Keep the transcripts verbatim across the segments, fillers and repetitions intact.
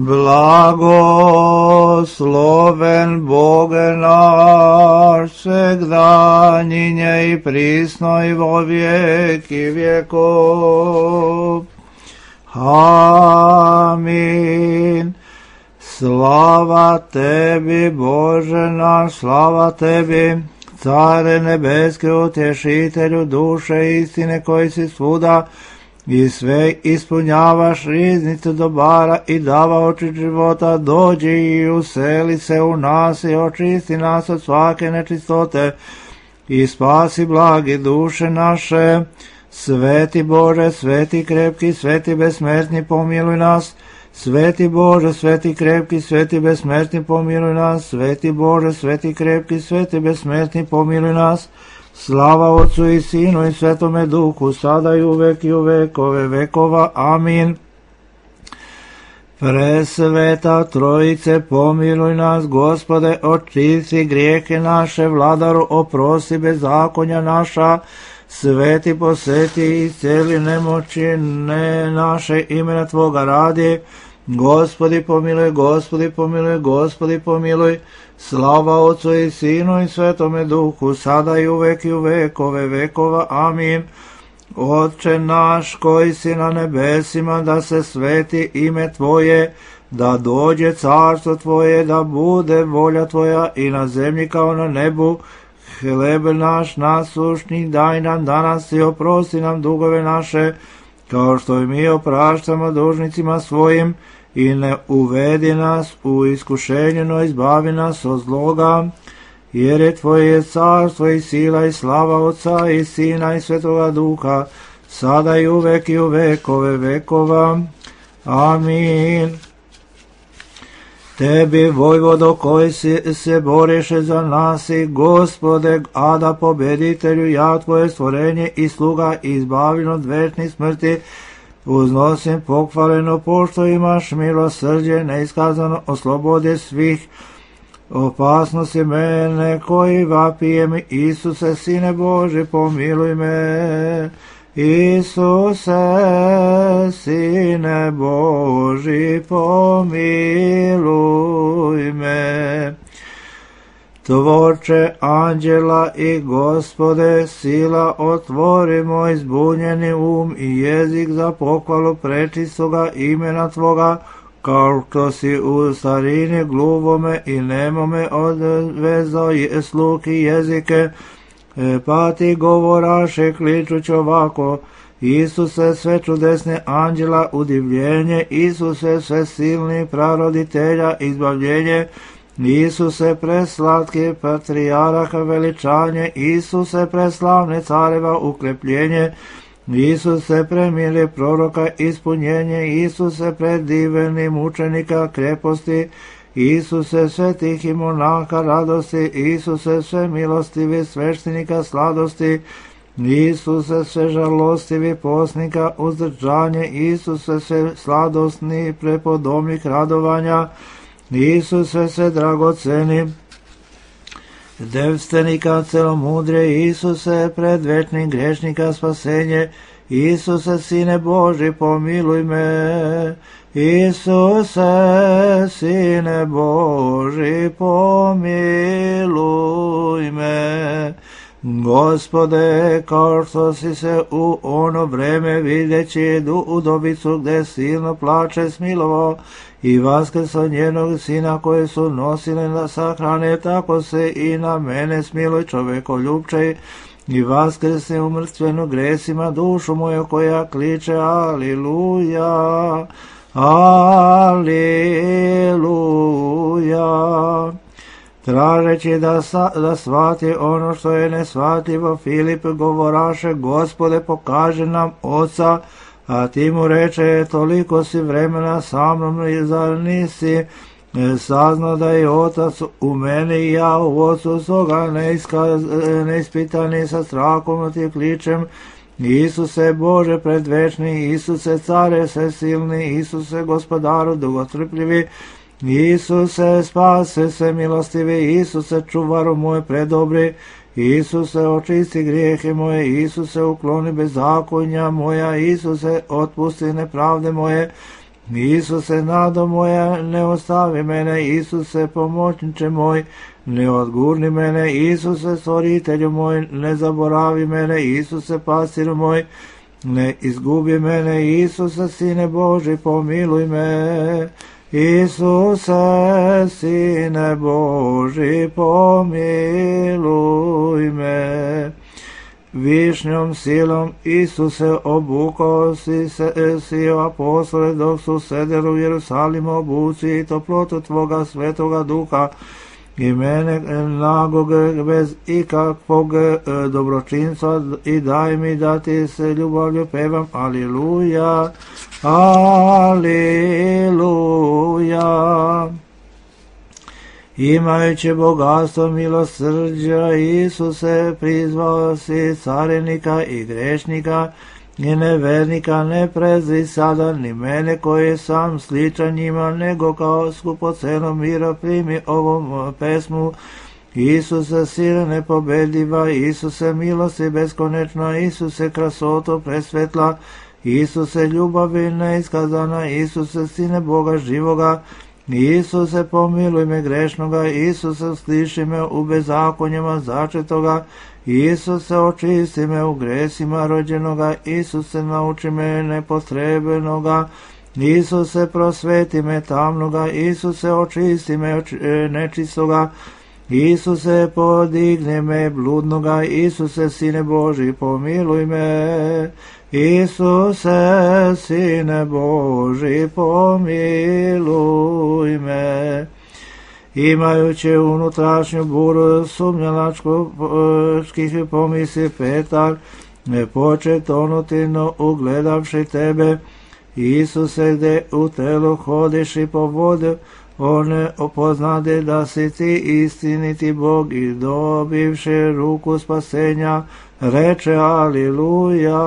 Blagosloven Boge naš, svegdaninje i prisno i vo vijeki vjekov. Amin. Slava tebi, Bože naš, slava tebi, Care nebeske, utješitelju duše istine, koji si svuda i sve ispunjavaš riznicu dobara i davaoči života, dođi i useli se u nas i očisti nas od svake nečistote i spasi blagi duše naše. Sveti Bože, sveti krepki, sveti besmrtni, pomiluj nas. Sveti Bože, sveti krepki, sveti besmrtni, pomiluj nas. Sveti Bože, sveti krepki, sveti besmrtni, pomiluj nas. Slava Otcu i Sinu i Svetome Duhu, sada i uvek i u vekove vekova. Amin. Presveta Trojice, pomiluj nas, Gospode, očisti grijehe naše, Vladaru, oprosti bezakonja naša, Sveti poseti i iscijeli nemoći ne naše, imena Tvoga radi. Gospodi pomiluj, Gospodi pomiluj, Gospodi pomiluj. Slava Otcu i Sinu i Svetome Duhu, sada i uvek i u vekove vekova. Amin. Otče naš koji si na nebesima, da se sveti ime Tvoje, da dođe carstvo Tvoje, da bude volja Tvoja i na zemlji kao na nebu. Hleb naš nasušni daj nam danas i oprosti nam dugove naše, kao što i mi opraštamo dužnicima svojim, i ne uvedi nas u iskušenje, no izbavi nas od zloga, jer je Tvoje carstvo i sila i slava Otca i Sina i Svetoga Duha, sada i uvek i u vekove vekova. Amin. Tebi, vojvodo, koji si se boriše za nas i Gospode, Ada pobeditelju, ja Tvoje stvorenje i sluga izbavljen od večnih smrti, uznosim pohvaleno, pošto imaš milosrđe neiskazano, oslobode svih opasnosti mene koji vapijem. Isuse, Sine Boži, pomiluj me. Isuse, Sine Boži, pomiluj me. Tvorče anđela i Gospode, sila, otvori moj zbunjeni um i jezik za pohvalu prečistoga imena Tvoga, kao što si u starini gluvome i nemome odvezao sluh i jezike, pa ti govoraše kličuć ovako: Isuse, sve čudesne anđela udivljenje, Isuse, sve silni praroditelja izbavljenje, Isuse, preslatki patrijarha veličanje, Isuse, preslavne careva ukrepljenje, Isuse, premili proroka ispunjenje, Isuse, prediveni mučenika kreposti, Isuse, svetih i monaha radosti, Isuse, sve milostivi sveštenika sladosti, Isuse, sve žalostivi posnika uzdržanje, Isuse, sve sladosni prepodobnik radovanja, Isuse, sve dragoceni devstvenika celomudre, Isuse, predvečnih grešnika spasenje, Isuse, Sine Boži, pomiluj me. Isuse, Sine Boži, pomiluj me. Gospode, kao što si se u ono vreme videći udovicu gde silno plače smilovao i vaskrsao njenog sina koje su nosile na sahrane, tako se i na mene smiluj, čovekoljubčej, i vaskrsi umrtvenu gresima dušu moju koja kliče Aliluja, Aliluja. Tražeći da, sa, da shvati ono što je neshvatljivo, Filip govoraše: Gospode, pokaže nam Oca, a ti mu reče: toliko si vremena sa mnom i zar nisi saznao da je Otac u meni i ja u Otcu, stoga neiskaz, neispitani sa strahom ti kličem: Isuse Bože predvečni, Isuse care svesilni, Isuse gospodaru dugotrpljivi, Isuse spase se milostivi, Isuse čuvaru moj predobri, Isuse očisti grijehe moje, Isuse ukloni bezakonja moja, Isuse otpusti nepravde moje, Isuse, nado moja, ne ostavi mene, Isuse, pomoćniče moj, ne odgurni mene, Isuse, stvoritelju moj, ne zaboravi mene, Isuse, pasiru moj, ne izgubi mene, Isuse, Sine Boži, pomiluj me. Isuse, Sine Boži, pomiluj me. Višnjom silom, Isuse, obukao si, se, si apostole dok su sedeli u Jerusalimu, obuci i toplotu Tvoga svetoga duha i mene nagog bez ikakvog dobročinstva i daj mi da ti se ljubavlju pevam. Aliluja, aliluja. Imajući bogatstvo milosrđa, Isuse, prizvao si carenika i grešnika i nevernika, ne prezri sada ni mene koji sam sličan njima, nego kao skupocenu mira primi ovom pesmu. Isuse, sile nepobediva, Isuse, milosti beskonečno, Isuse, krasoto presvetla, Isuse, ljubavi neiskazana, Isuse, Sine Boga živoga, Isuse, pomiluj me grešnoga, Isuse, sliši me u bezakonjima začetoga, Isuse, očisti me u gresima rođenoga, Isuse, nauči me nepotrebenoga, Isuse, prosveti me tamnoga, Isuse, očisti me nečistoga, Isuse, podigne me bludnoga, Isuse, Sine Boži, pomiluj me. Isuse, Sine Boži, pomiluj me. Imajući unutrašnju buru sumnjalačkih pomisli Petar, ne poče tonuti, no ugledavši tebe, Isuse, gde u telu hodiš i po vodi, on opoznade da si ti istiniti Bog i dobivši ruku spasenja, reče aliluja,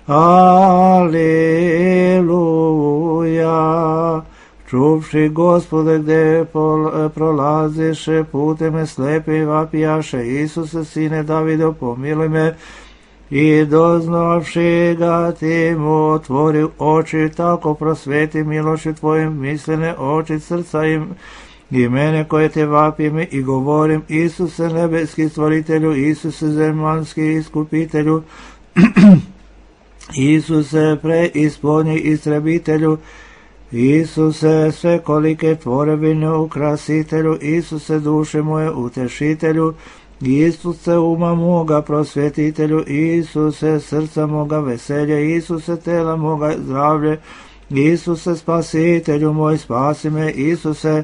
aliluja. Čuvši Gospode, gde prolaziše putem slepi vapijaše, Isuse, Sine Davidov, pomiluj me. I doznavši ga ti mu otvori oči, tako prosveti miloši tvojim mislene oči srca im i mene koje te vapim i govorim, Isuse, nebeski stvoritelju, Isuse, zemaljski iskupitelju, Isuse, preispodnji istrebitelju, Isuse, svekolike tvorevine ukrasitelju, Isuse, duše moje utešitelju, Isuse, uma moga prosvetitelju, Isuse, srca moga veselje, Isuse, tela moga zdravlje, Isuse, spasitelju moj, spasi me, Isuse,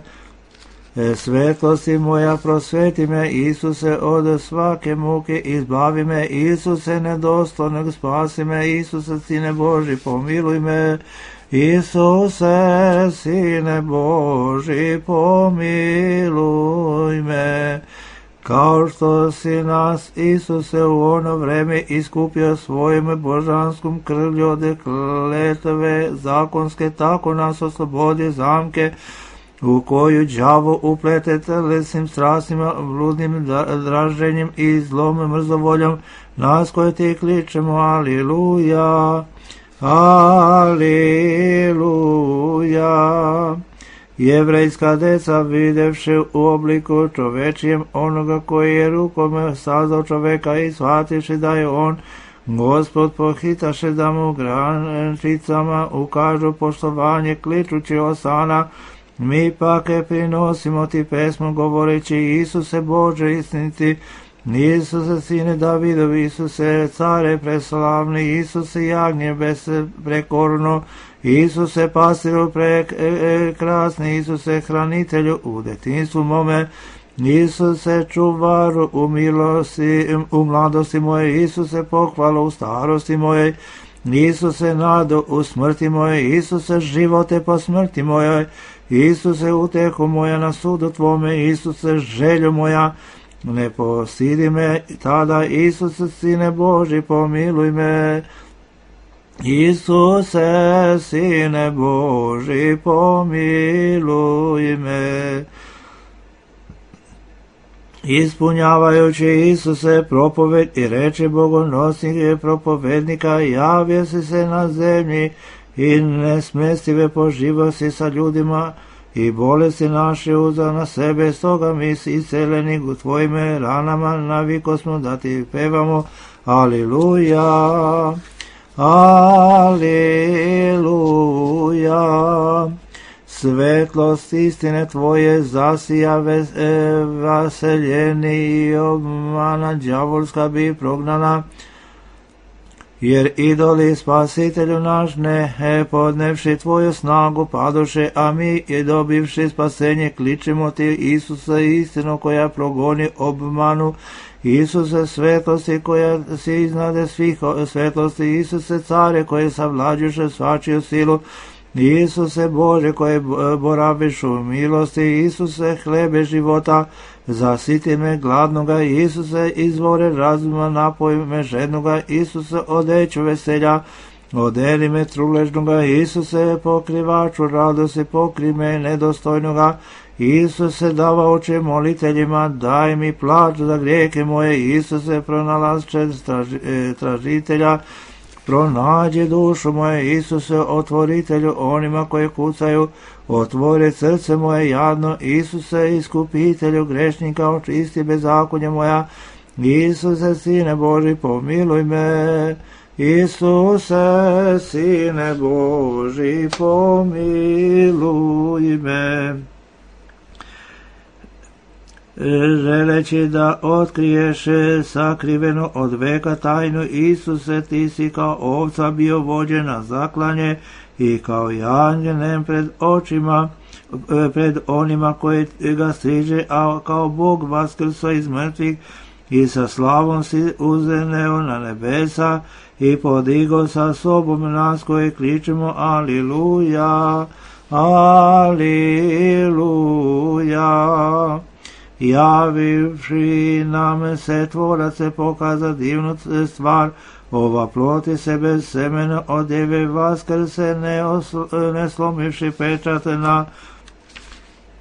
svetlosti moja, prosveti me, Isuse, od svake muke izbavi me, Isuse, nedostojnog spasi me, Isuse, Sine Boži, pomiluj me, Isuse, Sine Boži, pomiluj me. Kao što si nas, Isuse, u ono vreme iskupio svojim božanskom krvlju od kletve zakonske, tako nas oslobodi zamke u koju đavo uplete telesnim strastima, bludnim draženjem i zlom mrzovoljom, nas koje ti kličemo, aliluja, aliluja. Jevrejska deca, videvši u obliku čovečijem onoga koji je rukom sazdao čoveka i shvativši da je on Gospod, pohitaše da mu grančicama ukažu poštovanje, kličući osana. Mi pak prinosimo ti pesmu govoreći, Isuse Bože istiniti, Isuse, Sine Davidov, Isuse, care preslavni, Isuse, jagnje besprekorno, Isuse, pasiru prekrasni, Isuse, hranitelju u detinjstvu mome, Isuse, čuvaru u milosti, u mladosti moje, Isuse, pohvalu u starosti moje, Isuse, nadu u smrti moje, Isuse, živote po smrti moje, Isuse, utehu moja na sudu tvome, Isuse, želju moja, ne postidi me tada, Isuse, Sine Boži, pomiluj me. Isuse, Sine Boži, pomiluj me. Ispunjavajući, Isuse, propoved i reči bogonosnih propovednika, javio si se na zemlji i nesmestive po živosti sa ljudima, i bolesti naše uzeo na sebe, stoga mi si isceleni u tvojime ranama, naviko smo da ti pevamo, Aliluja, Aliluja. Svetlost istine tvoje zasija vaseljeni i obmana đavolska bi prognana, jer idoli spasitelju naš ne podnevši tvoju snagu padoše, a mi je dobivši spasenje kličimo ti, Isuse, istinu koja progoni obmanu, Isuse, svetlosti koja si iznade svih svetlosti, Isuse, care koje savlađuše svačiju silu, Isuse Bože koje boraviš u milosti, Isuse hlebe života, zasiti me gladnoga, Isuse izvore razuma, napoj me žednoga, Isuse odeću veselja, odeli me truležnoga, Isuse pokrivaču radosti, pokri me nedostojnoga, Isuse davaoče moliteljima, daj mi plač za grijehe moje, Isuse pronalašče tražitelja, pronađi dušu moje, Isuse otvoritelju onima koje kucaju, otvori srce moje jadno, Isuse iskupitelju grešnika, očisti bezakonje moja, Isuse Sine Boži pomiluj me, Isuse Sine Boži pomiluj me. Želeći da otkriješ sakriveno od veka tajnu, Isuse, ti si kao ovca bio vođen na zaklanje i kao janjenem pred očima, pred onima koji ga striže, a kao Bog vaskrso iz mrtvih i sa slavom si uzeneo na nebesa i podigo sa sobom nas koji kličemo Aliluja, Aliluja. Javivši nam se tvorac se pokaza divnu stvar, ova ploti se bez semena od djeve vaskrse, ne, osl- ne slomivši pečat na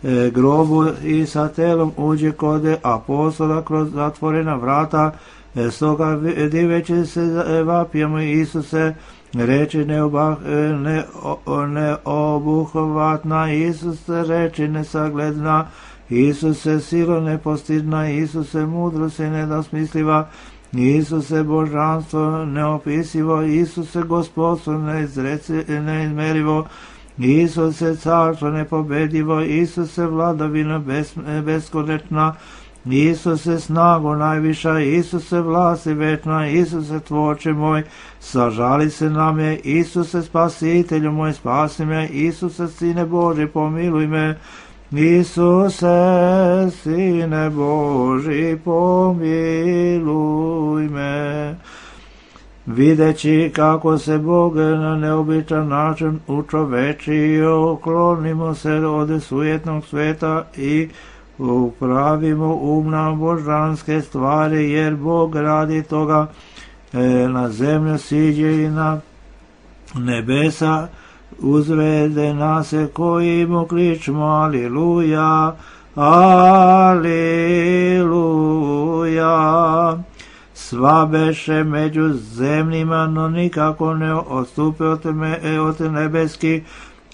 e, grobu i sa telom uđe kod apostola kroz zatvorena vrata, e, stoga diveći se vapijemo Isuse, reči neobah, ne, neobuhvatna, Isuse reči nesagledna, Isuse silo nepostidna, Isuse mudrost nedosmisliva, Isuse božanstvo neopisivo, Isuse gospodstvo neizmerivo, Isuse carstvo nepobedivo, Isuse vladavina bes, beskonečna, Isuse snago najviša, Isuse vlasi večna, Isuse tvorče moj, sažali se nam je, Isuse spasitelju moj, spasi me, Isuse Sine Boži pomiluj me, Isuse, Sine Boži, pomiluj me. Videći kako se Bog na neobičan način učovečio, klonimo se od sujetnog sveta i upravimo um na božanske stvari, jer Bog radi toga e, na zemlju siđe i na nebesa, uzvede nas koji mu kličemo Aliluja, Aliluja. Sva beše među zemljima, no nikako ne odstupe od, me, od nebeski,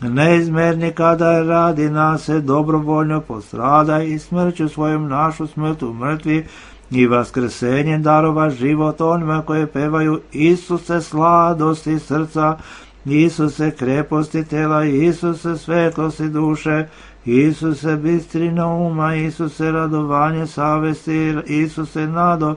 neizmerni kada radi nas dobrovoljno postrada i smrću svojom našu smrt u mrtvi i vaskrsenjem darova život onima koje pevaju Isuse sladosti srca, Isuse kreposti tela, Isuse svetlosti duše, Isuse bistrina uma, Isuse radovanje savesti, Isuse nado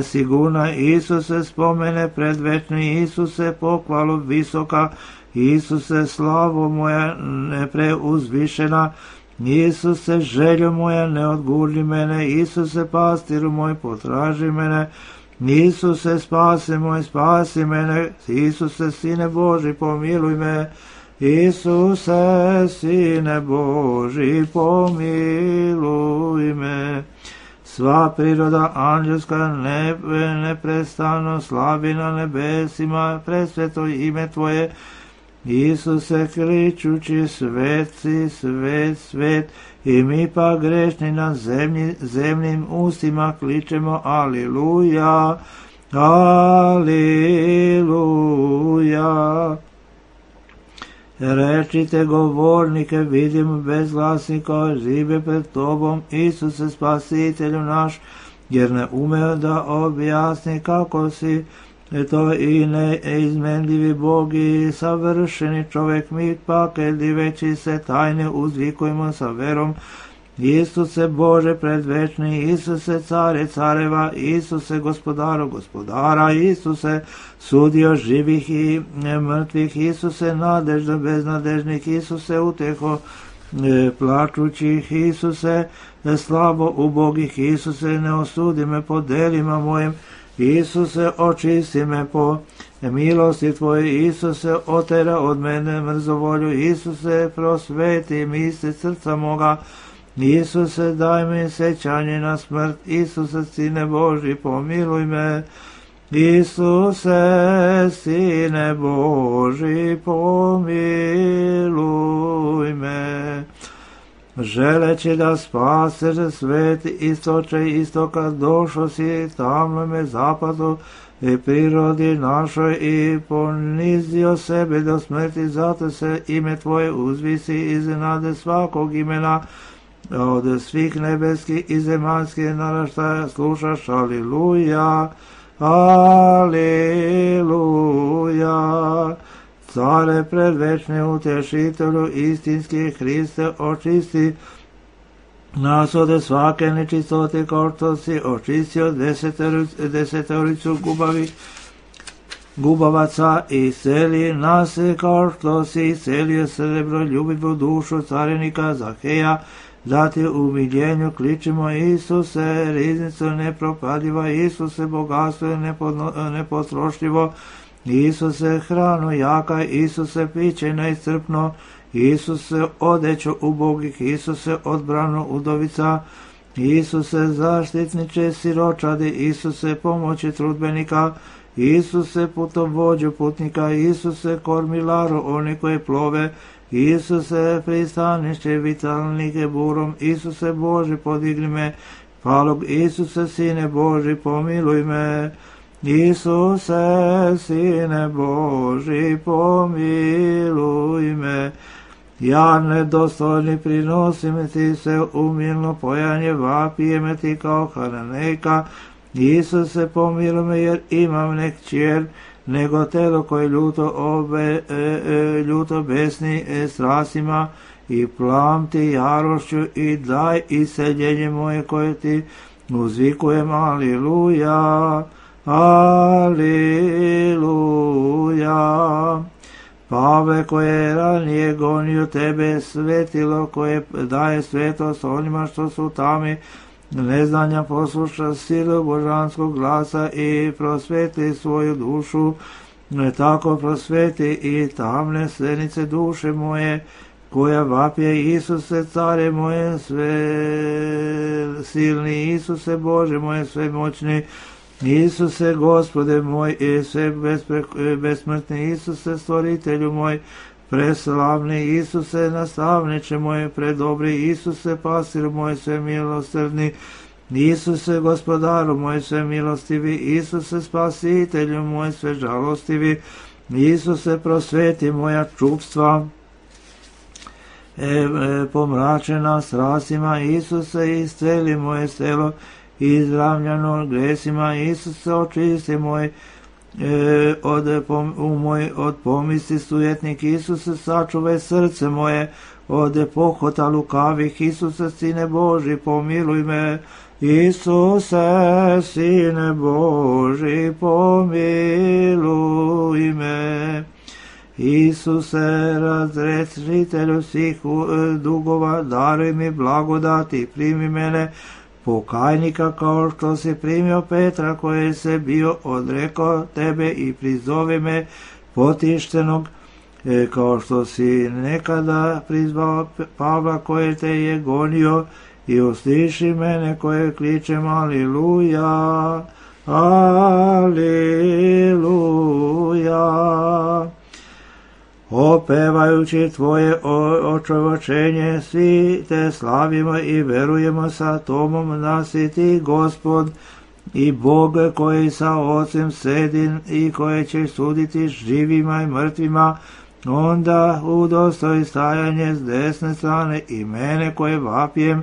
sigurna, Isuse spomene predvečni, Isuse pohvalu visoka, Isuse slavo moja nepreuzvišena, Isuse željo moja ne odgurni mene, Isuse pastiru moj potraži mene, Isuse spasi moj, spasi mene, Isuse Sine Boži pomiluj me, Isuse Sine Boži pomiluj me. Sva priroda anđelska ne, neprestano slavi na nebesima presveto ime Tvoje, Isuse kričući svet si, svet, svet, i mi pa grešni na zemlji, zemljim ustima kličemo Aliluja, Aliluja. Rečite govornike, vidim bezglasnika, žive pred tobom, Isuse spasitelju naš, jer ne ume da objasni kako si to i neizmenljivi Bog i savršeni čovjek, mi pak diveći se tajne uzvikujemo sa verom. Isuse Bože predvečni, Isuse care careva, Isuse gospodaru gospodara, Isuse sudio živih i mrtvih, Isuse nadežda beznadežnih, Isuse uteho plačućih, Isuse slabo ubogih, Isuse ne osudi me po delima mojim, Isuse očisti me po milosti Tvoje, Isuse otera od mene mrzovolju, Isuse prosveti misli srca moga, Isuse daj mi sećanje na smrt, Isuse Sine Boži pomiluj me, Isuse Sine Boži pomiluj me. Želeći da spaseš svet istoče istoka, došao si tamnome zapadu i prirodi našoj i ponizio sebe do smrti, zato se ime Tvoje uzvisi iznade svakog imena, od svih nebeskih i zemaljskih naraštaja slušaš, aliluja, aliluja. Care predvečni utešitelju, istinski Hriste, očisti nas od svake nečistote, kao što si očistio desetoricu gubavi, gubavaca i seli nas, kao što si selio srebro, ljubivu dušu carenika Zaheja, da ti u miljenju kličimo, Isuse, riznicu nepropadiva, Isuse, bogatstvo nepotrošljivo, Isuse, hranu jaka, Isuse, piće neiscrpno, Isuse, odeću ubogih, Isuse, odbranu udovica, Isuse, zaštitniče siročadi, Isuse, pomoći trudbenika, Isuse, putovođu putnika, Isuse, kormilaru oni koji plove, Isuse, pristanište vitalnike burom, Isuse Boži podigni me, palog, Isuse Sine Boži pomiluj me, Isuse Sine Boži pomiluj me. Ja nedostojni prinosim ti se umilno pojanje, vapijem ti kao Hananejka, Isuse pomiluj me jer imam nek čer, nego telo koje ljuto, obe, e, e, ljuto besni e, strasima i plamti jarošću i daj iseljenje moje koje ti uzvikujem, aliluja, aliluja. Pavle koje je ranije gonio tebe, svetilo koje daje svetost onima što su tami, neznanja posluša silu božanskog glasa i prosveti svoju dušu, tako prosveti i tamne senice duše moje, koja vapje, Isuse, care moje sve silni, Isuse, Bože moje svemoćni, Isuse, Gospode moj i sve besmrtni, Isuse, stvoritelju moj, preslavni, Isuse, nastavniče moje, predobri, Isuse, pasir moj, sve milosrdni, Isuse, gospodaru moj, sve milostivi, Isuse, spasitelju moj, sve žalostivi, Isuse, prosveti moja čupstva, e, e, pomračena strasima, Isuse, isceli moje selo, izravljano gresima, Isuse, očisti moj, E, od, pom, u moj, od pomisli sujetnik, Isuse, sačuvaj srce moje, od pohota lukavih, Isuse, Sine Boži, pomiluj me, Isuse, Sine Boži, pomiluj me, Isuse, razrešitelju svih dugova, daruj mi blagodati, primi mene, pokajnika, kao što si primio Petra koji se bio odrekao tebe i prizove me potištenog, e, kao što si nekada prizvao Pavla koji te je gonio i usliši mene koje kličem aliluja, aliluja. Opevajući Tvoje očovačenje, svi te slavimo i verujemo sa Tomom da si ti Gospod i Bog koji sa Ocem sedi i koji će suditi živima i mrtvima, onda udostoj stajanje s desne strane i mene koje vapijem.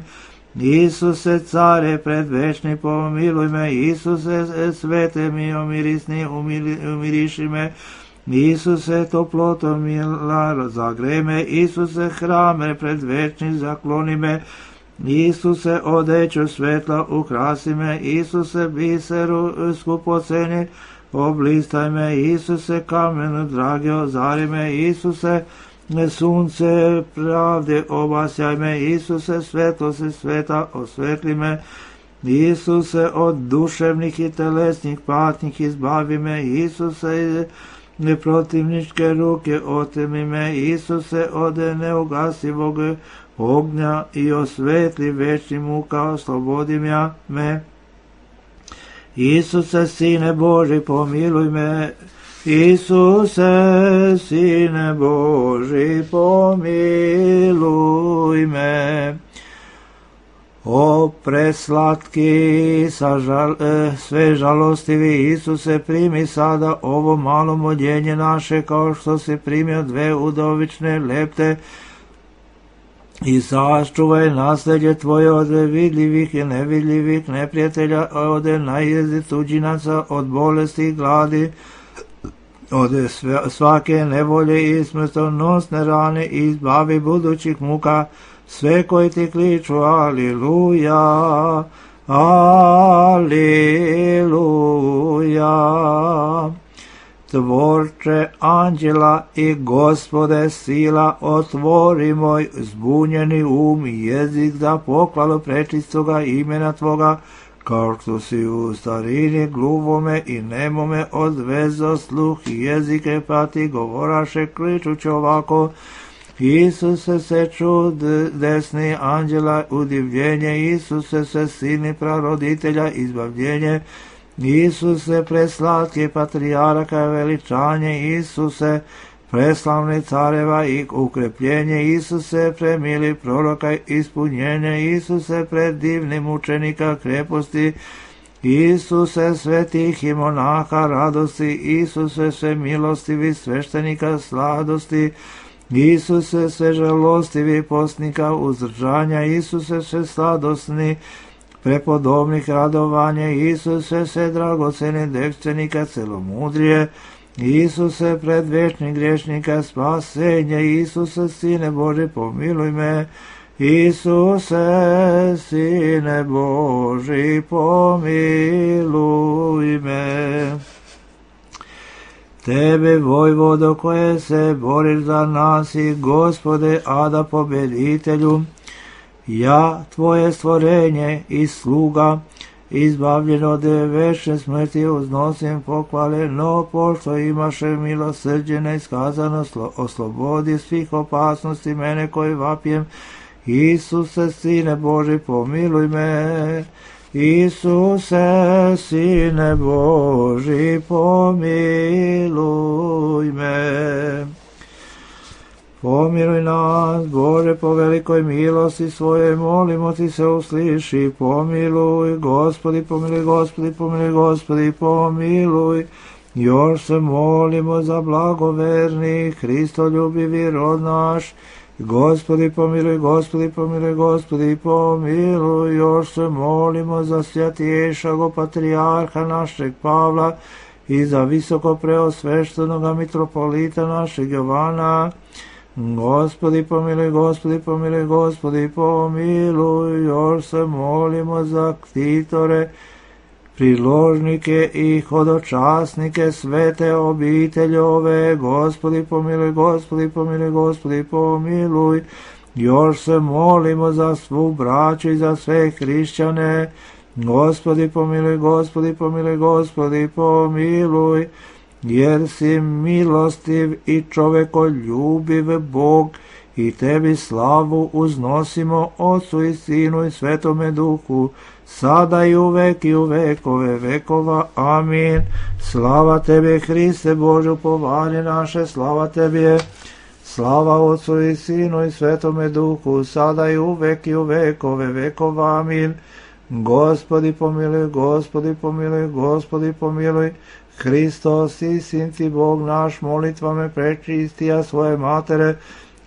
Isuse, care predvečni, pomiluj me. Isuse, svete mi omirisni, umiriši me. Isuse, toploto mila, zagrej me. Isuse, hrame predvečni, zakloni me. Isuse, odeću svetla, ukrasi me. Isuse, biseru skupoceni, oblistaj me. Isuse, kamenu dragi, ozari me. Isuse, sunce pravde, obasjaj me. Isuse, svetlosti sveta, osvetli me. Isuse, od duševnih i telesnih patnjih izbavi me. Isuse, protivničke ruke otemi me. Isuse, od neugasivog ognja i osvetli večni muka, oslobodim ja me. Isuse, Sine Boži, pomiluj me. Isuse, Sine Boži, pomiluj me. O preslatki, sažal, sve žalostivi Isuse, primi sada ovo malo moljenje naše, kao što si primio dve udovične lepte, i sačuvaj nasljeđe Tvoje od vidljivih i nevidljivih neprijatelja, od najezdi tuđinaca, od bolesti i gladi, od svake nevolje i smrtonosne rane, i izbavi budućih muka sve koji ti kliču. Aliluja, aliluja. Tvorče anđela i Gospode sila, otvori moj zbunjeni um i jezik za pohvalu prečistoga imena Tvoga, kao što si u starini gluvome i nemome odvezo sluh i jezike, pa ti govoraše kličući ovako. Isuse, se čud desni anđela, udivljenje. Isuse, se sini praroditelja, izbavljenje. Isuse, preslatki patrijaraka, veličanje. Isuse, preslavni careva i ukrepljenje. Isuse, premili proroka, ispunjenje. Isuse, predivni mučenika, kreposti. Isuse, svetih i monaha, radosti. Isuse, sve milostivi sveštenika, sladosti. Isuse, sve žalostivi postnika, uzdržanja. Isuse, sve sladosni prepodobnih radovanja. Isuse, sve dragoceni devčenika, celomudrije. Isuse, predvečni grešnika, spasenje. Isuse, Sine Boži, pomiluj me. Isuse, Sine Boži, pomiluj me. Tebe, vojvodo, koje se boriš za nas, i Gospode, Ada pobeditelju, ja, Tvoje stvorenje i sluga, izbavljen od večne smrti, uznosim pohvale, no pošto imaše milosrđe neiskazano, oslobodi svih opasnosti mene koji vapijem. Isuse, Sine Boži, pomiluj me. Isuse, Sine Boži, pomiluj me. Pomiluj nas, Bože, po velikoj milosti svoje, molimo ti se, usliši. Pomiluj, Gospodi, pomiluj, Gospodi, pomiluj, Gospodi, pomiluj. Još se molimo za blagoverni, Hristoljubivi rod naš. Gospodi, pomiluj, Gospodi, pomiluj, Gospodi, pomiluj. Još se molimo za svjatješago patrijarha našeg Pavla i za visoko preosveštenoga mitropolita našeg Jovana. Gospodi, pomiluj, Gospodi, pomiluj, Gospodi, pomiluj. Još se molimo za ktitore, priložnike i hodočasnike svete obiteljove. Gospodi, pomiluj, Gospodi, pomiluj, Gospodi, pomiluj. Još se molimo za svu braću i za sve hrišćane. Gospodi, pomiluj, Gospodi, pomiluj, Gospodi, pomiluj. Jer si milostiv i čovekoljubiv Bog, i tebi slavu uznosimo, Otcu i Sinu i Svetome Duhu, sada i uvek i u vekove vekova. Amin. Slava tebi, Hriste Bože, upovanje naše, slava tebi. Slava Otcu i Sinu i Svetome Duhu, sada i uvek i u vekove vekova. Amin. Gospodi pomiluj, Gospodi pomiluj, Gospodi pomiluj, Hristos i Sin ti Bog naš, molitvame prečistija svoje matere,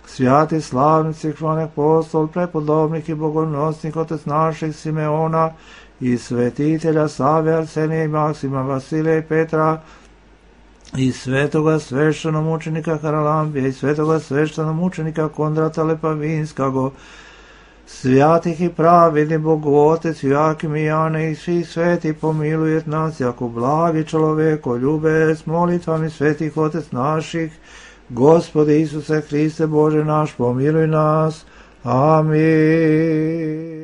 svjati slavnici, hvalni apostol, prepodobnik i bogonosnik, otec naših Simeona i svetitelja Save, Arsenija i Maksima, Vasilija i Petra, i svetoga sveštenomučenika Haralambija, i svetoga sveštenomučenika Kondrata Lepavinskago, svjatih i pravedni Bogu Otec, Joakim i Jane i svih sveti pomilujet nas, jako blagi čovjeko, ljube s molitvami svetih Otec naših, Gospode Isuse Hriste Bože naš, pomiluj nas. Amin.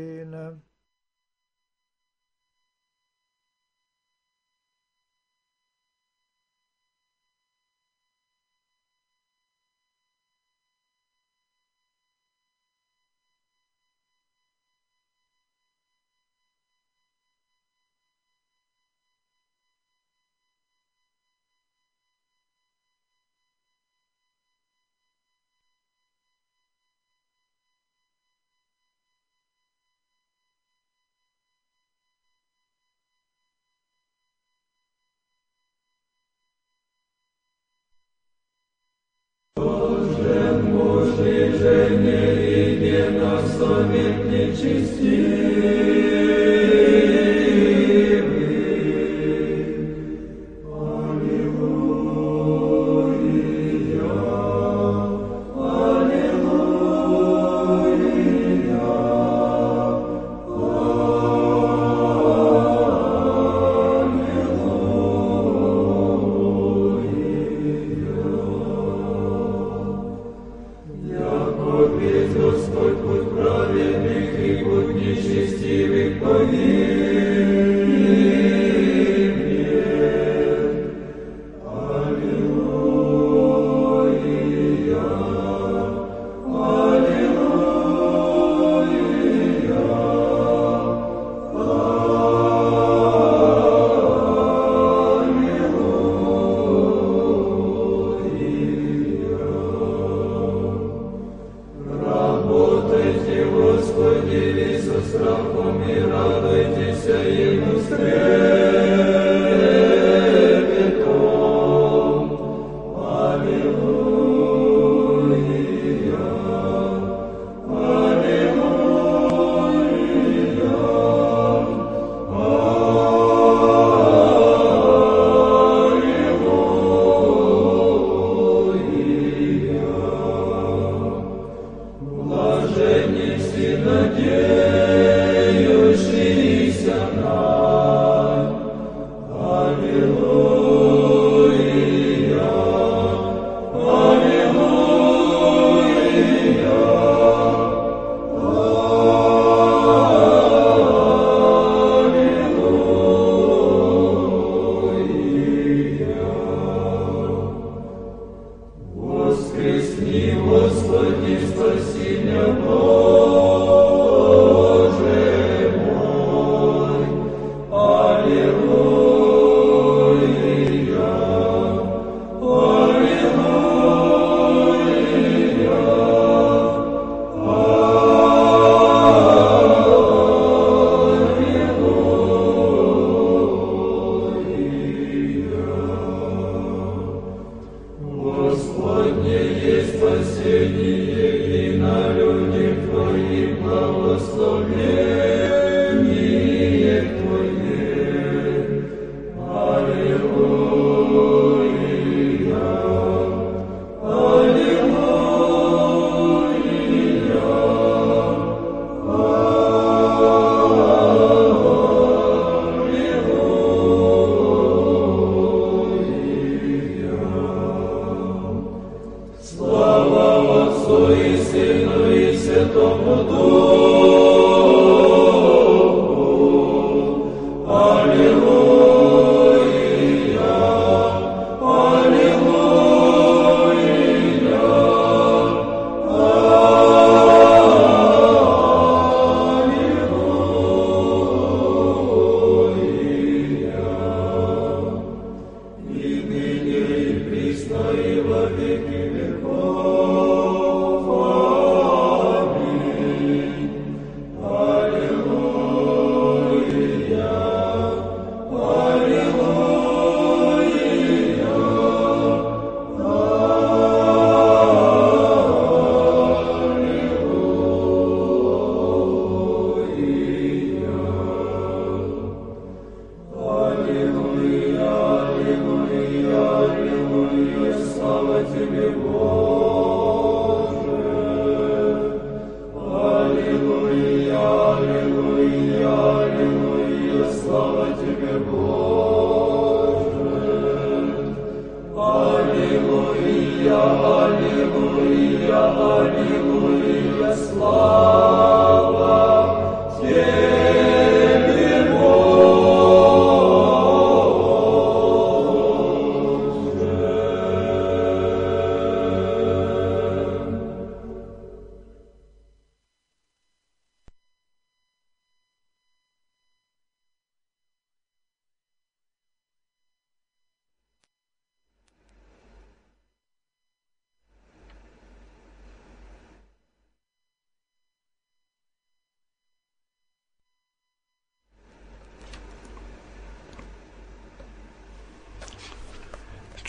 Надеюшися на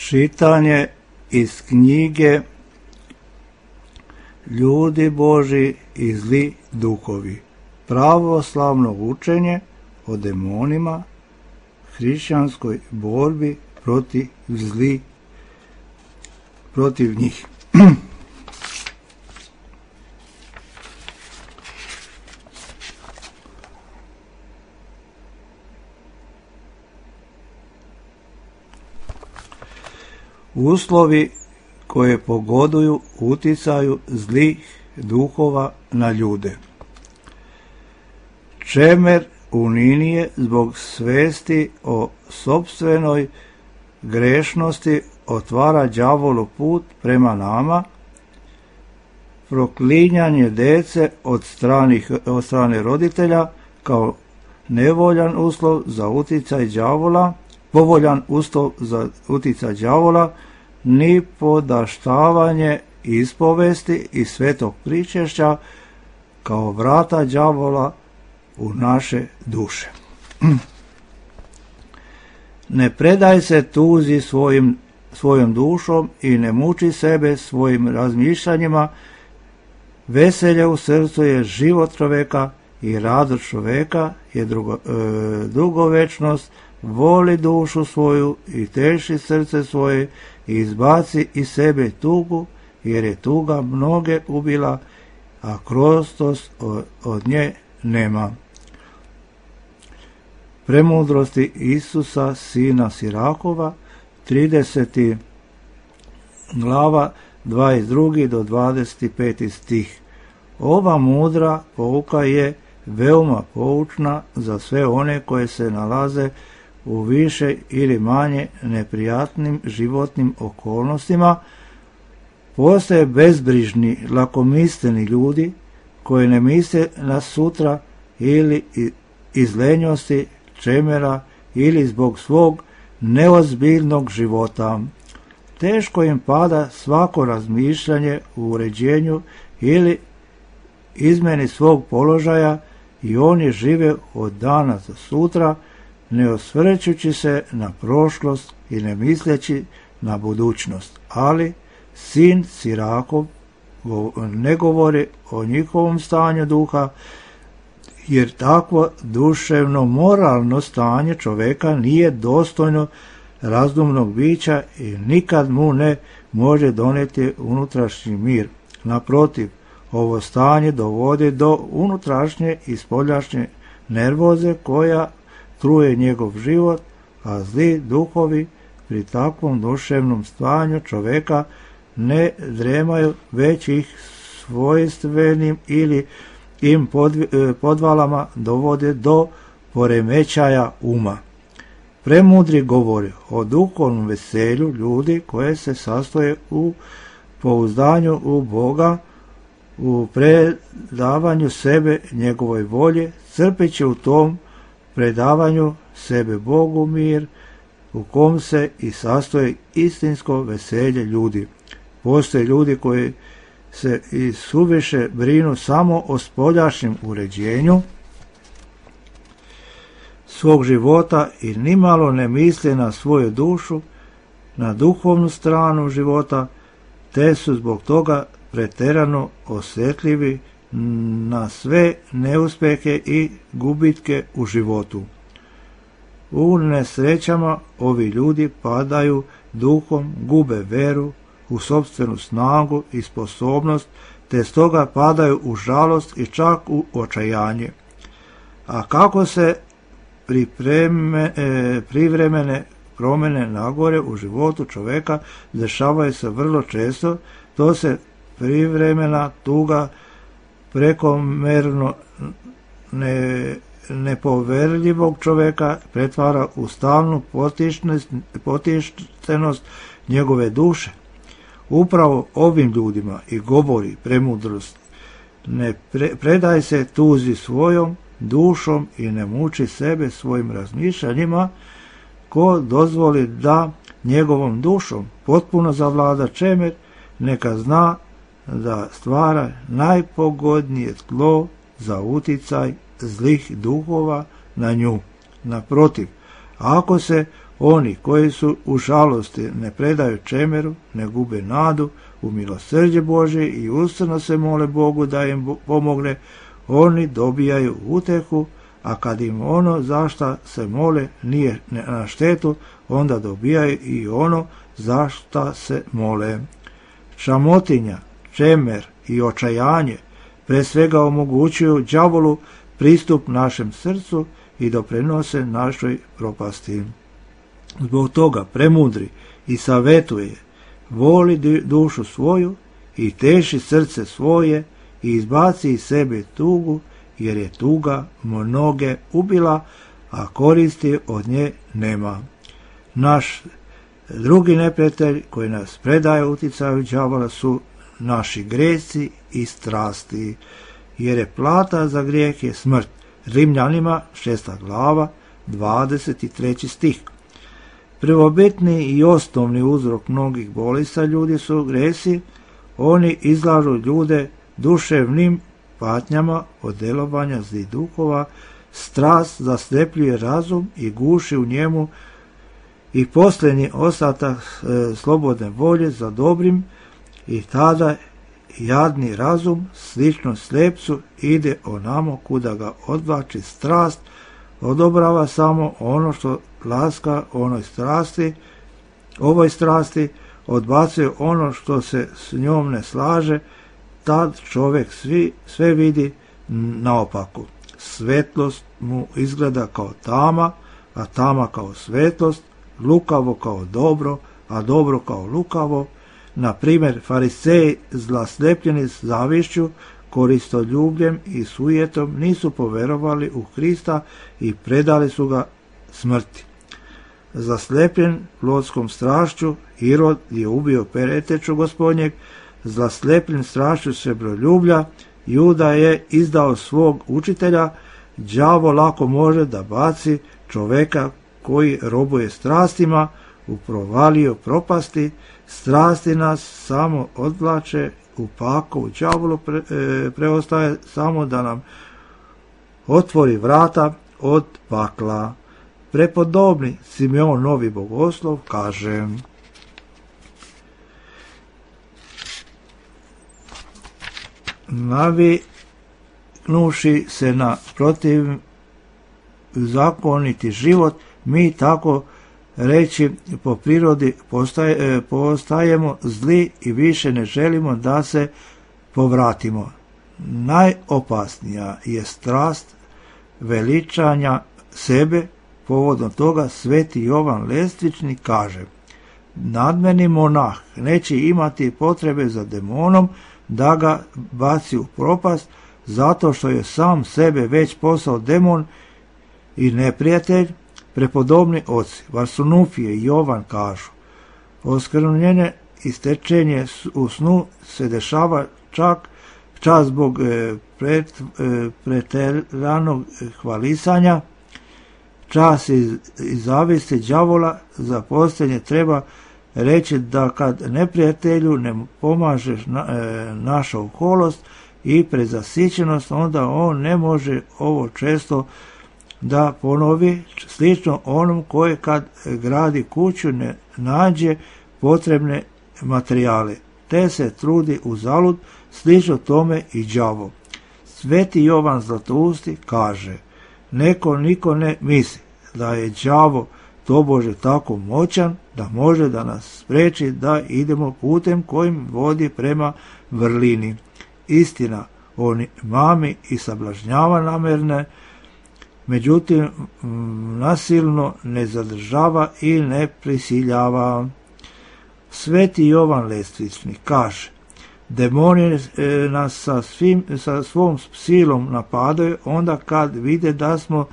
Čitanje iz knjige Ljudi Božji i zli duhovi. Pravoslavno učenje o demonima, hrišćanskoj borbi protiv zli, protiv njih. Uslovi koje pogoduju uticaju zlih duhova na ljude. Čemer uninije zbog svesti o sopstvenoj grešnosti otvara đavolu put prema nama, proklinjanje dece od, stranih, od strane roditelja kao nevoljan uslov za uticaj đavola, povoljan uslov za uticaj đavola, ni podaštavanje ispovesti i svetog pričešća kao vrata đavola u naše duše. Ne predaj se tuzi svojim, svojom dušom i ne muči sebe svojim razmišljanjima. Veselje u srcu je život čoveka i radost čoveka je drugo, e, dugovečnost. Voli dušu svoju i teši srce svoje i izbaci iz sebe tugu, jer je tuga mnoge ubila, a krostost od, od nje nema. Premudrosti Isusa, sina Sirakova, trideseta glava, dvadeset drugi do dvadeset peti stih. Ova mudra pouka je veoma poučna za sve one koje se nalaze u više ili manje neprijatnim životnim okolnostima. Postoje bezbrižni, lakomisleni ljudi koji ne misle na sutra ili iz lenjosti, čemera ili zbog svog neozbiljnog života. Teško im pada svako razmišljanje u uređenju ili izmeni svog položaja i oni žive od dana za sutra, ne osvrćući se na prošlost i ne misleći na budućnost. Ali sin Sirakov ne govori o njihovom stanju duha, jer takvo duševno moralno stanje čoveka nije dostojno razumnog bića i nikad mu ne može doneti unutrašnji mir. Naprotiv, ovo stanje dovodi do unutrašnje i spoljašnje nervoze koja truje njegov život, a zli duhovi pri takvom duševnom stanju čoveka ne dremaju, već ih svojstvenim ili im podvalama dovode do poremećaja uma. Premudri govori o duhovnom veselju ljudi koje se sastoje u pouzdanju u Boga, u predavanju sebe njegovoj volje, crpeći u tom predavanju sebe Bogu mir, u kom se i sastoji istinsko veselje ljudi. Postoje ljudi koji se i suviše brinu samo o spoljašnjem uređenju svog života i nimalo ne misle na svoju dušu, na duhovnu stranu života, te su zbog toga pretjerano osjetljivi na sve neuspehe i gubitke u životu. U nesrećama ovi ljudi padaju duhom, gube veru u sopstvenu snagu i sposobnost, te stoga padaju u žalost i čak u očajanje. A kako se pripreme, e, privremene promjene nagore u životu čoveka dešavaju se vrlo često, to se privremena tuga prekomerno ne, nepoverljivog čoveka pretvara u stalnu potištenost njegove duše. Upravo ovim ljudima i govori premudrost: ne pre, predaj se tuzi svojom dušom i ne muči sebe svojim razmišljanjima. Ko dozvoli da njegovom dušom potpuno zavlada čemer, neka zna da stvara najpogodnije tlo za uticaj zlih duhova na nju. Naprotiv, ako se Oni koji su u žalosti ne predaju čemeru, ne gube nadu u milosrđe Božje i ustrajno se mole Bogu da im pomogne, oni dobijaju utehu, a kad im ono za šta se mole nije na štetu, onda dobijaju i ono za šta se mole. Šamotinja, čemer i očajanje pre svega omogućuju đavolu pristup našem srcu i doprinose našoj propasti. Zbog toga premudri i savetuje, voli dušu svoju i teši srce svoje i izbaci iz sebe tugu, jer je tuga mnoge ubila, a koristi od nje nema. Naš drugi neprijatelj koji nas predaje uticaju đavola su naši gresi i strasti, jer je plata za grijeh je smrt. Rimljanima šesta glava, dvadeset treći stih. Prvobitni i osnovni uzrok mnogih bolesti ljudi su gresi. Oni izlažu ljude duševnim patnjama od delovanja zlih duhova. Strast zaslepljuje razum i guši u njemu i posljednji ostatak e, slobodne volje za dobrim, i tada jadni razum, slično slepcu, ide onamo kuda ga odvlači strast, odobrava samo ono što laska onoj strasti, ovoj strasti, odbacuje ono što se s njom ne slaže, tad čovjek svi, sve vidi naopako. Svetlost mu izgleda kao tama, a tama kao svetlost, lukavo kao dobro, a dobro kao lukavo. Na primjer, fariseji zlaslepljeni zavišću, koristoljubljem i sujetom nisu poverovali u Krista i predali su ga smrti. Zaslepljen plotskom strašću, Irod je ubio Pereteču gospodnjeg, zaslepljen strašću srebroljublja, Juda je izdao svog učitelja. Đavo lako može da baci čoveka koji robuje strastima u provaliju propasti. Strasti nas samo odvlače u pakao. Đavolu pre, e, preostaje samo da nam otvori vrata od pakla. Prepodobni Simeon Novi Bogoslov kaže: naviknuši se na protiv zakoniti život, mi tako reći po prirodi postaje, postajemo zli i više ne želimo da se povratimo. Najopasnija je strast veličanja sebe. Povodom toga sveti Jovan Lestvični kaže: nadmeni monah neće imati potrebe za demonom da ga baci u propast, zato što je sam sebe već postao demon i neprijatelj. Prepodobni oci Varsunufije i Jovan kažu: oskvrnjenje i stečenje u snu se dešava čak čas zbog e, pret, e, preteranog hvalisanja, čas iz, iz zavisti đavola. Za posljednje treba reći da kad neprijatelju ne pomaže na, e, naša oholost i prezasićenost, onda on ne može ovo često da ponovi, slično onom koji kad gradi kuću ne nađe potrebne materijale, te se trudi uzalud, slično tome i đavo. Sveti Jovan Zlatousti kaže: neko niko ne misli da je đavo tobože tako moćan da može da nas spreči da idemo putem kojim vodi prema vrlini. Istina, on mami i sablažnjava namerne, međutim nasilno ne zadržava i ne prisiljava. Sveti Jovan Lestvični kaže: demoni nas sa, svim, sa svom silom napadaju onda kad vide da smo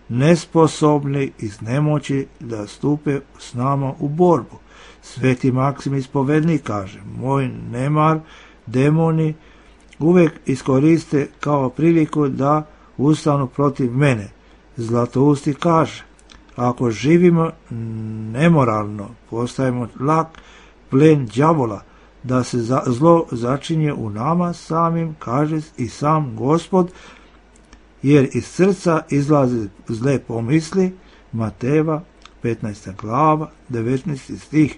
nesposobni iz nemoći da stupe s nama u borbu. Sveti Maksim Ispovednik kaže: moj nemar demoni uvijek iskoriste kao priliku da ustanu protiv mene. Zlatousti kaže: ako živimo nemoralno, postajemo lak plen đavola, da se za, zlo začinje u nama samim, kaže i sam Gospod, jer iz srca izlaze zle pomisli. Mateva petnaesta glava, devetnaesti stih.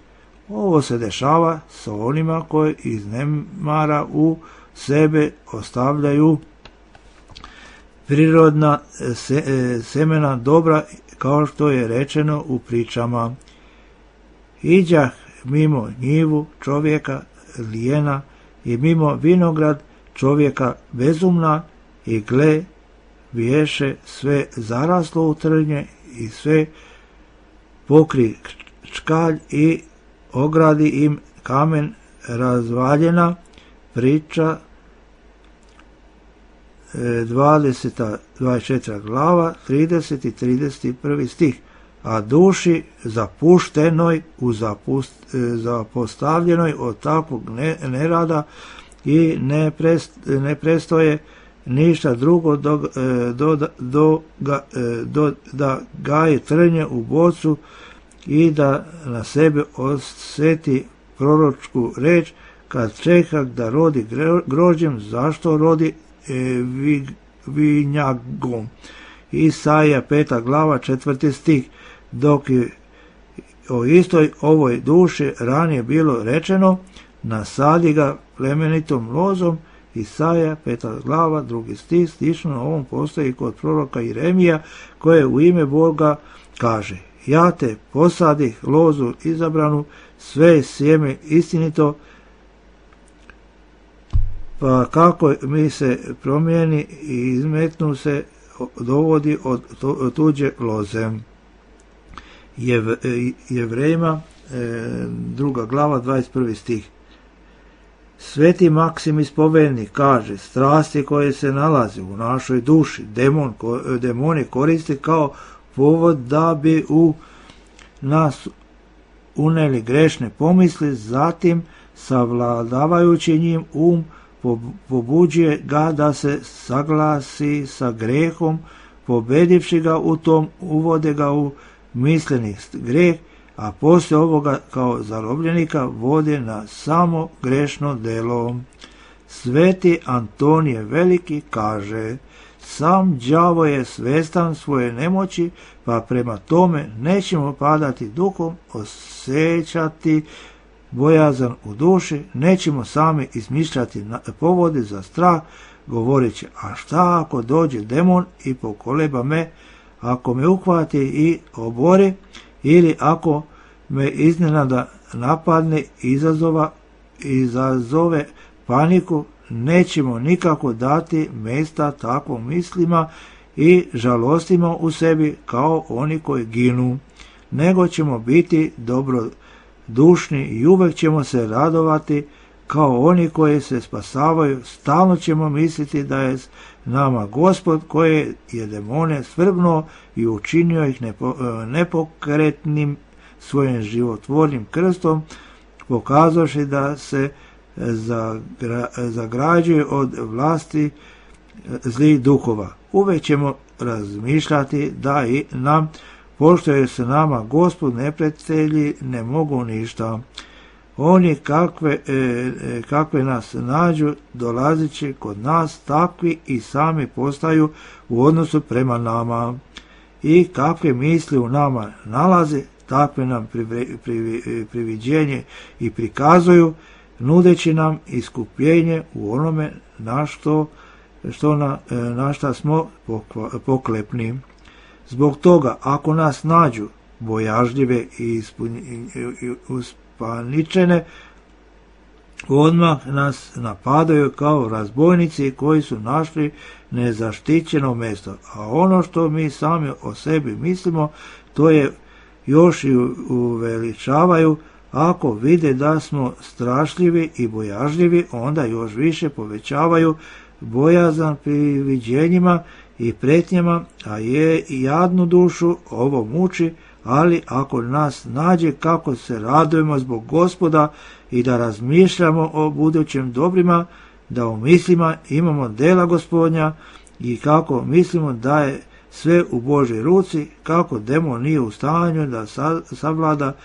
Ovo se dešava sa onima koji iz nemara u sebe ostavljaju prirodna se, semena dobra, kao što je rečeno u pričama. Iđah mimo njivu čovjeka lijena i mimo vinograd čovjeka bezumna i gle, biješe sve zaraslo u trnje i sve pokri čkalj i ogradi im kamen razvaljena. Priča dvadeseta, dvadeset četvrta glava, trideset i trideset prvi stih. A duši zapuštenoj, u zapust, zapostavljenoj od takvog nerada i ne, prest, ne prestoje ništa drugo do, do, do, do, do, da gaje trnje u bocu i da na sebe osjeti proročku reč, kad čeka da rodi grožđem, zašto rodi e, vi, vinjagom. Isaija peta glava, četvrti stih. Dok je o istoj ovoj duši ranije bilo rečeno, nasadi ga plemenitom lozom. Isaija peta glava, drugi stih. Slično na ovom postoji kod proroka Jeremija, koje u ime Boga kaže: ja te posadih lozu izabranu, sve sjeme istinito, pa kako mi se promijeni i izmetnu se, dovodi od tuđe loze. Jev, Jevrejima, druga glava, dvadeset prvi stih. Sveti Maksim Ispovednik kaže: strasti koje se nalaze u našoj duši demon, demoni koriste kao povod da bi u nas uneli grešne pomisli, zatim savladavajući njim um pobuđuje ga da se saglasi sa grehom, pobedivši ga u tom uvode ga u misleni greh, a poslije ovoga kao zarobljenika vode na samo grešno delo. Sveti Antonije Veliki kaže: sam đavo je svestan svoje nemoći, pa prema tome nećemo padati duhom, osjećati bojazan u duši, nećemo sami izmišljati povode za strah, govoreći: a šta ako dođe demon i pokoleba me, ako me uhvati i obori, ili ako me iznenada napadne, izazova, izazove paniku, nećemo nikako dati mjesta takvom mislima i žalostima u sebi kao oni koji ginu, nego ćemo biti dobrodušni i uvek ćemo se radovati kao oni koji se spasavaju. Stalno ćemo misliti da je nama Gospod koji je demone svrgnuo i učinio ih nepo, nepokretnim svojim životvornim krstom, pokazavši da se zagra, zagrađuje od vlasti zlih duhova. Uvek ćemo razmišljati da i nam, pošto je se nama Gospod neprijatelji, ne mogu ništa. Oni kakve, e, kakve nas nađu, dolazići kod nas, takvi i sami postaju u odnosu prema nama. I kakve misli u nama nalaze, takve nam privi, privi, priviđenje i prikazuju, nudeći nam iskupljenje u onome na što, što na, na šta smo poklepni. Zbog toga, ako nas nađu bojažljive i uspaničene, odmah nas napadaju kao razbojnici koji su našli nezaštićeno mjesto. A ono što mi sami o sebi mislimo, to je još i uveličavaju. Ako vide da smo strašljivi i bojažljivi, onda još više povećavaju bojazan priviđenjima i pretnjama, a je i jadnu dušu ovo muči. Ali ako nas nađe kako se radujemo zbog Gospoda i da razmišljamo o budućim dobrima, da u mislima imamo dela Gospodnja i kako mislimo da je sve u Božoj ruci, kako demon nije u stanju da savlada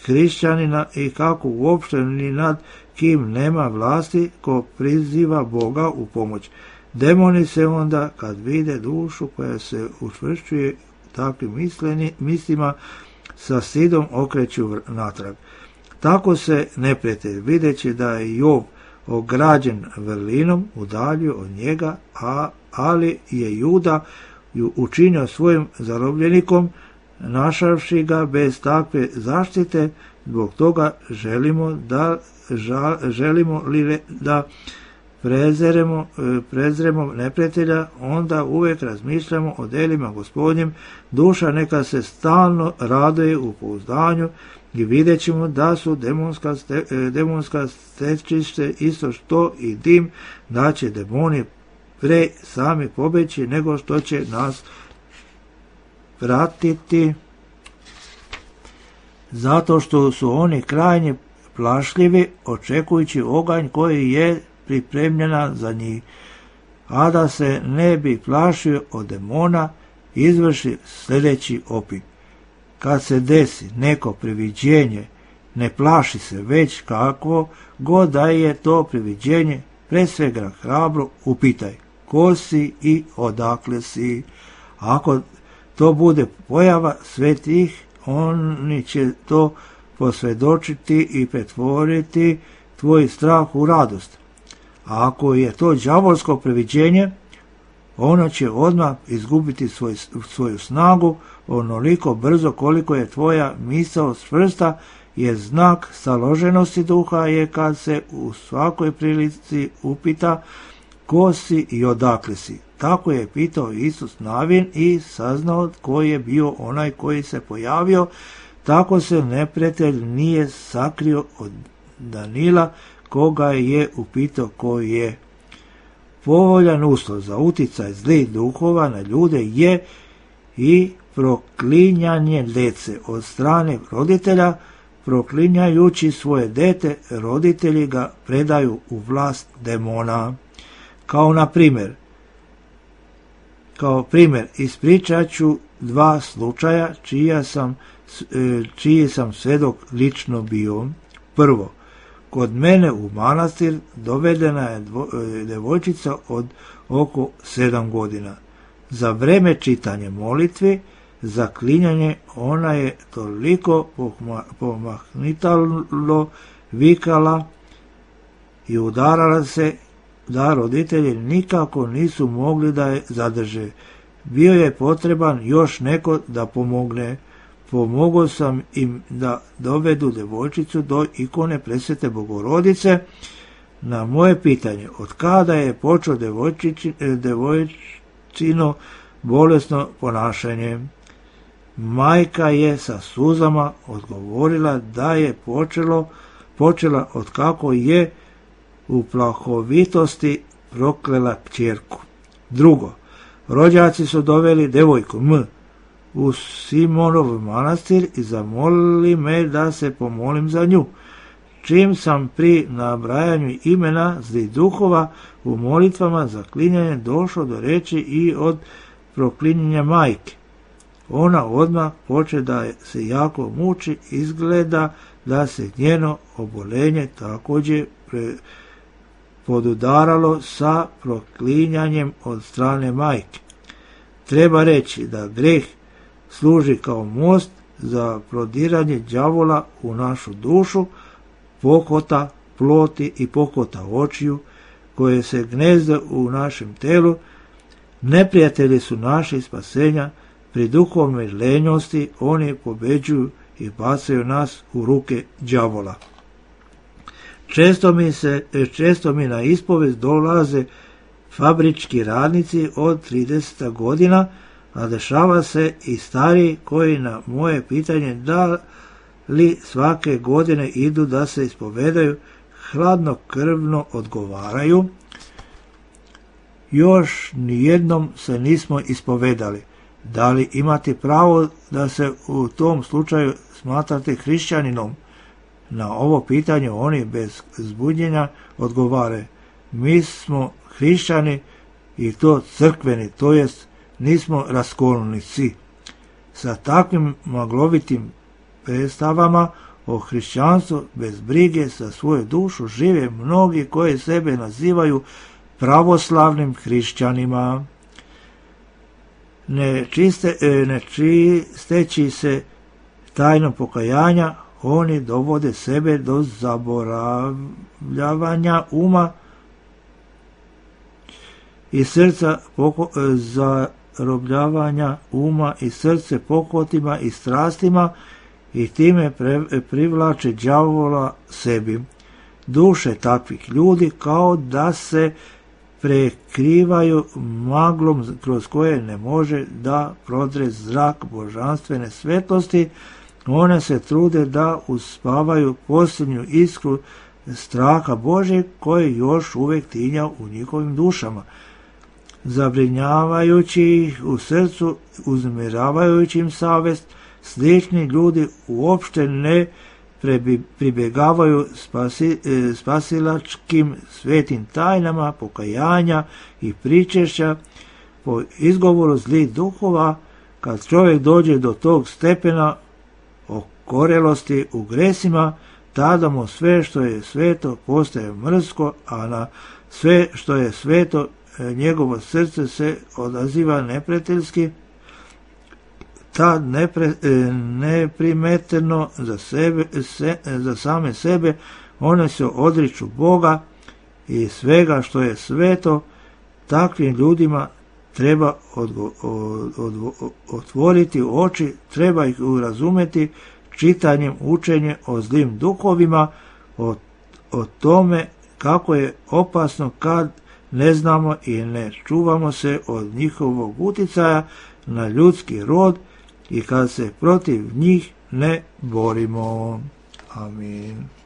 hrišćanina i kako uopšte ni nad kim nema vlasti ko priziva Boga u pomoć. Demoni se onda, kad vide dušu koja se učvršćuje takvim mislima, sa stidom okreću natrag. Tako se neprijatelj, videći da je Jov ograđen vrlinom, udaljio od njega, a, ali je Juda ju učinio svojim zarobljenikom, našavši ga bez takve zaštite. Zbog toga želimo da žal, želimo li da prezeremo, prezremo neprijatelja, onda uvijek razmišljamo o delima Gospodnjim, duša neka se stalno raduje u pouzdanju i vidjet ćemo da su demonska, ste, demonska stečište isto što i dim, da će demoni pre sami pobeći nego što će nas pratiti, zato što su oni krajnje plašljivi, očekujući oganj koji je pripremljena za njih. A da se ne bi plašio od demona, izvrši sljedeći opit. Kad se desi neko priviđenje, ne plaši se, već kakvo god da je to priviđenje, pre svega hrabro upitaj ko si i odakle si. Ako to bude pojava svetih, oni će to posvjedočiti i pretvoriti tvoj strah u radost. A ako je to đavolsko priviđenje, ono će odmah izgubiti svoj, svoju snagu onoliko brzo koliko je tvoja misao čvrsta, jer znak staloženosti duha je kad se u svakoj prilici upita ko si i odakle si. Tako je pitao Isus Navin i saznao ko je bio onaj koji se pojavio. Tako se neprijatelj nije sakrio od Danila, koga je upitao ko je. Povoljan uslov za uticaj zlih duhova na ljude je i proklinjanje djece od strane roditelja. Proklinjajući svoje dete, roditelji ga predaju u vlast demona. Kao na primjer, kao primjer ispričat ću dva slučaja čija sam, čiji sam svjedok lično bio. Prvo, kod mene u manastir dovedena je dvo, devojčica od oko sedam godina. Za vreme čitanja molitvi, zaklinjanje, ona je toliko pomahnitalo vikala i udarala se da roditelji nikako nisu mogli da je zadrže. Bio je potreban još neko da pomogne. Pomogao sam im da dovedu devojčicu do ikone Presvete Bogorodice. Na moje pitanje od kada je počeo devojčino bolesno ponašanje, majka je sa suzama odgovorila da je počelo, počela od kako je u plahovitosti proklela kćerku. Drugo, rođaci su doveli devojku M u Simonov manastir i zamolili me da se pomolim za nju. Čim sam pri nabrajanju imena zlih duhova u molitvama za klinjanje došlo do reči i od proklinjanja majke. Ona odmah poče da se jako muči, izgleda da se njeno obolenje također pre, podudaralo sa proklinjanjem od strane majke. Treba reći da greh služi kao most za prodiranje đavola u našu dušu, pokota ploti i pokota očiju, koje se gnezde u našem telu. Neprijatelji su naši spasenja, pri duhovnoj lenjosti oni pobeđuju i bacaju nas u ruke đavola. Često mi, se, često mi na ispovest dolaze fabrički radnici od trideset godina, a dešava se i stariji koji na moje pitanje da li svake godine idu da se ispovedaju, hladnokrvno odgovaraju: još nijednom se nismo ispovedali. Da li imate pravo da se u tom slučaju smatrate hrišćaninom? Na ovo pitanje oni bez zbunjenja odgovare: mi smo hrišćani i to crkveni, to jest nismo raskolnici. Sa takvim maglovitim predstavama o hrišćanstvu bez brige za svoju dušu žive mnogi koji sebe nazivaju pravoslavnim hrišćanima. Ne, čiste, ne čisteći se tajnom pokajanja oni dovode sebe do zaboravljavanja uma i srca poko, zarobljavanja uma i srce pokotima i strastima i time pre, privlače đavola sebi. Duše takvih ljudi kao da se prekrivaju maglom kroz koje ne može da prodre zrak božanstvene svetlosti. One se trude da uspavaju posljednju iskru straha Božeg koji još uvijek tinja u njihovim dušama, zabrinjavajući ih u srcu, uznemiravajući im savest. Slični ljudi uopšte ne pribjegavaju spasi, spasilačkim svetim tajnama pokajanja i pričešća po izgovoru zlih duhova. Kad čovjek dođe do tog stepena okorelosti u gresima, tada mu sve što je sveto postaje mrsko, a na sve što je sveto njegovo srce se odaziva neprijateljski. Tad nepre, neprimeteno za, sebe, se, za same sebe one se odriču Boga i svega što je sveto. Takvim ljudima treba odgo, od, od, otvoriti oči, treba ih urazumeti čitanjem učenje o zlim duhovima, o, o tome kako je opasno kad ne znamo i ne čuvamo se od njihovog uticaja na ljudski rod i kad se protiv njih ne borimo. Amin.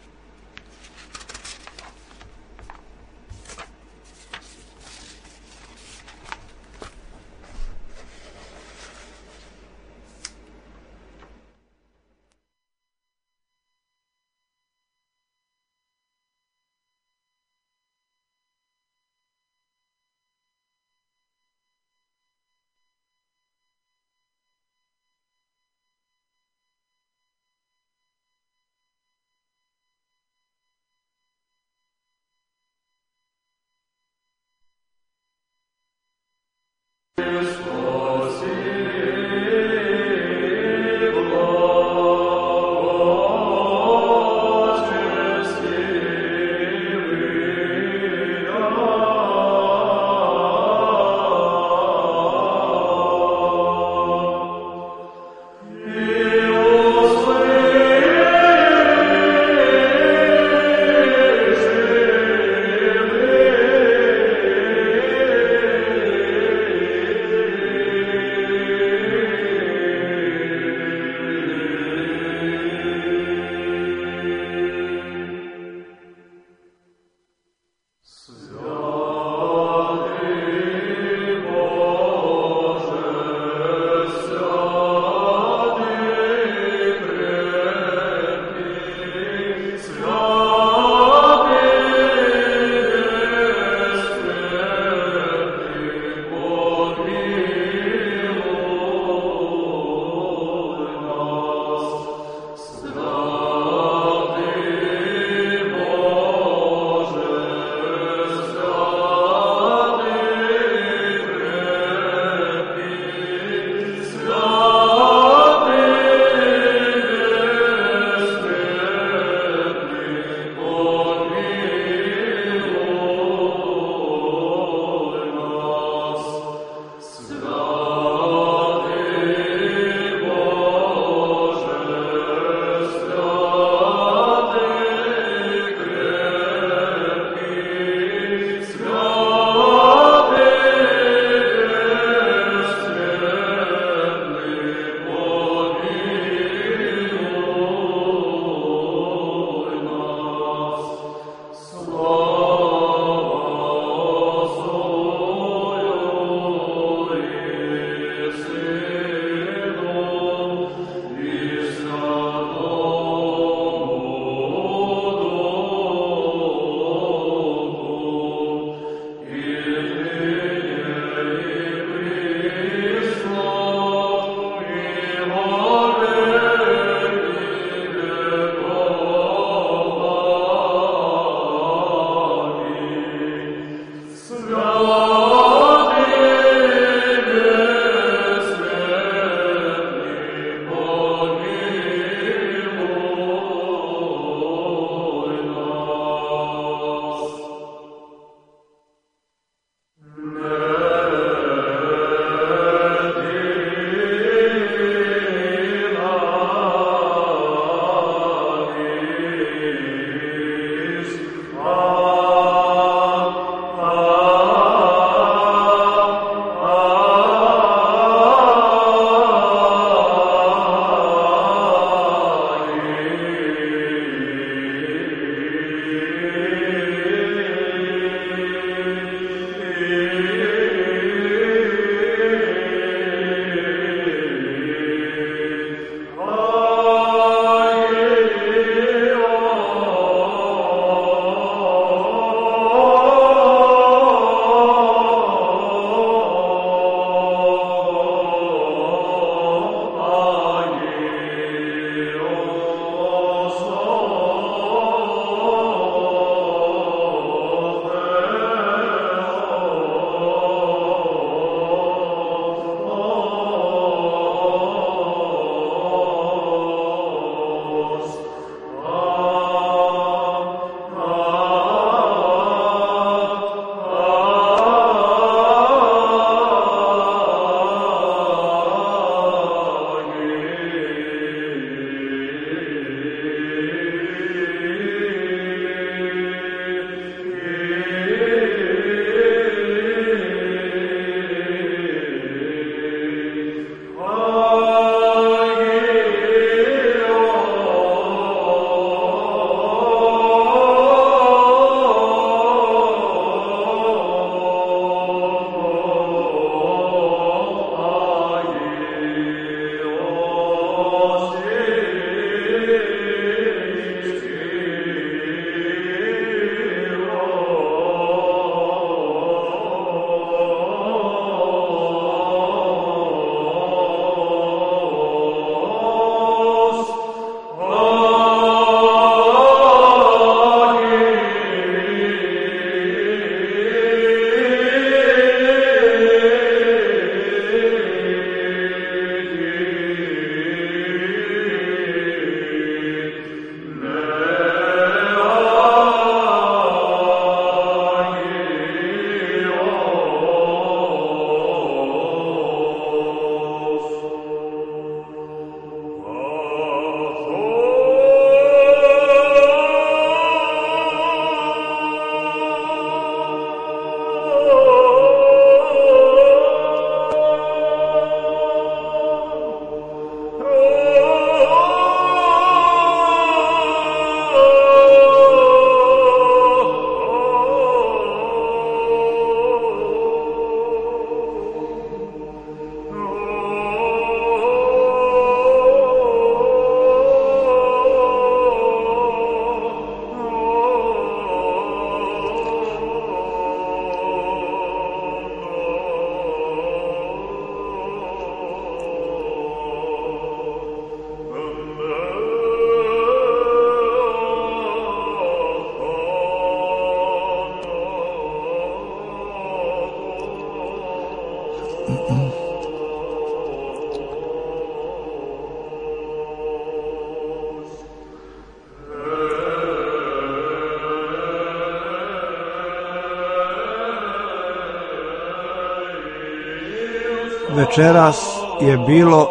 Večeras je bilo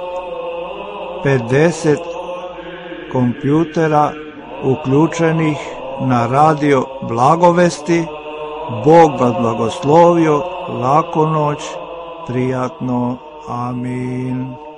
pedeset kompjutera uključenih na radio Blagovesti. Bog vas blagoslovio, laku noć, prijatno, amin.